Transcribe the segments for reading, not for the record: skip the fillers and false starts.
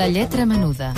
La lletra menuda.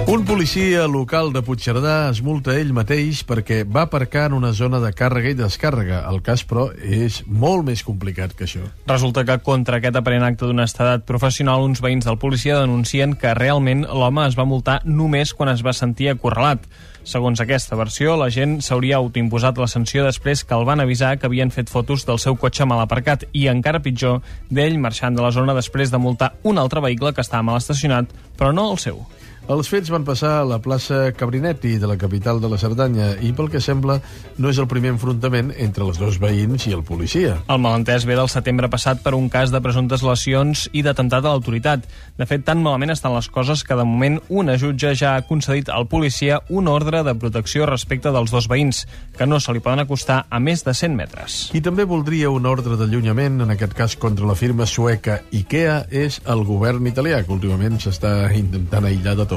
Un policia local de Puigcerdà es multa ell mateix perquè va aparcar en una zona de càrrega i descàrrega. El cas, però, és molt més complicat que això. Resulta que contra aquest aparent acte d'honestedat professional, uns veïns del policia denuncien que realment l'home es va multar només quan es va sentir acorralat. Segons aquesta versió, la gent s'hauria autoimposat la sanció després que el van avisar que havien fet fotos del seu cotxe mal aparcat i, encara pitjor, d'ell marxant de la zona després de multar un altre vehicle que estava mal estacionat, però no el seu. Els fets van passar a la plaça Cabrinetti de la capital de la Cerdanya i, pel que sembla, no és el primer enfrontament entre els dos veïns i el policia. El malentès ve del setembre passat per un cas de presumptes lesions i d'atemptat a l'autoritat. De fet, tan malament estan les coses que, de moment, una jutge ja ha concedit al policia un ordre de protecció respecte dels dos veïns, que no se li poden acostar a més de 100 metres. Qui també voldria un ordre d'allunyament, en aquest cas contra la firma sueca IKEA, és el govern italià, que últimament s'està intentant aïllar de tot.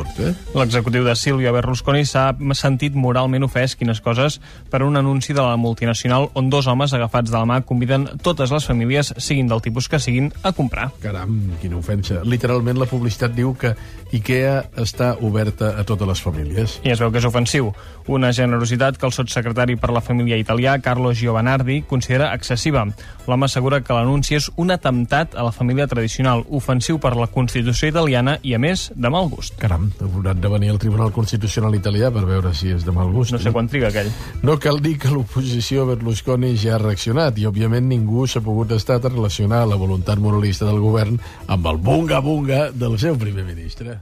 L'executiu de Silvio Berlusconi s'ha sentit moralment ofès, quines coses, per un anunci de la multinacional on dos homes agafats de la mà conviden totes les famílies, siguin del tipus que siguin, a comprar. Caram, quina ofensa. Literalment la publicitat diu que IKEA està oberta a totes les famílies. I es veu que és ofensiu. Una generositat que el sotssecretari per la família italià, Carlo Giovanardi, considera excessiva. L'home assegura que l'anunci és un atemptat a la família tradicional, ofensiu per la Constitució italiana i, a més, de mal gust. Caram, hauran de venir al Tribunal Constitucional italià per veure si és de mal gust. No sé quan triga aquell. No cal dir que l'oposició a Berlusconi ja ha reaccionat i, òbviament, ningú s'ha pogut estar a relacionar la voluntat moralista del govern amb el bunga-bunga del seu primer ministre.